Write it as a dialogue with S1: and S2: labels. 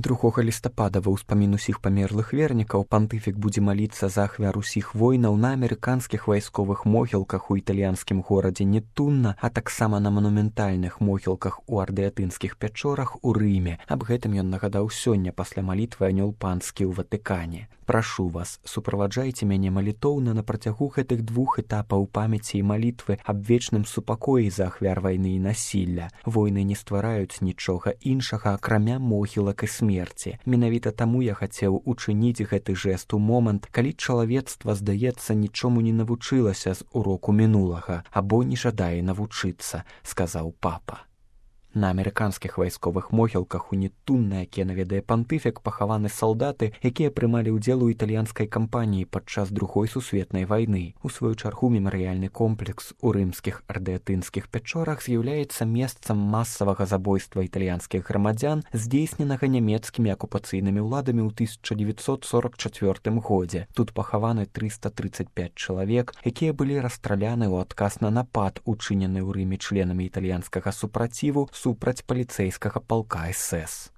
S1: 2 лістапада ва ўспамін усіх памерлых вернікаў пантыфік будзе маліцца за ахвяр усіх войнаў на амерыканскіх вайсковых могілках у італьянскім горадзе Нетунна, а таксама на манументальных могілках у ардыятынскіх пячорах у Рыме. Аб гэтым ён нагадаў сёння пасля малітвы анёл панскі ў Ватыкане. Прашу вас, суправаджайце мяне малітоўна на працягу гэтых 2 этапаў памяці і малітвы аб вечным супакоі за ахвяр вайны і насілля. Войны не ствараюць нічога іншага, акрамя могілак і смерці. Менавіта таму я хацеў учыніць гэты жэст у момант, калі чалавецтва, здаецца, нічому не навучылася з уроку мінулага або не жадае навучыцца, сказаў папа. На амерыканскіх вайсковых могілках у Нетунна, якія наведае пантыфік, пахаваны салдаты, якія прымалі ўдзел у італьянскай кампаніі падчас Другой сусветнай вайны. У сваю чаргу мемарыяльны комплекс у рымскіх ардыятынскіх пячорах з'яўляецца месцам масавага забойства італьянскіх грамадзян, здзейсненага нямецкімі акупацыйнымі ўладамі ў 1944 годзе. Тут пахаваны 335 чалавек, якія былі расстраляны ў адказ на напад, учынены ў Рыме членамі італьянскага супраціву супраць паліцэйскага палка СС.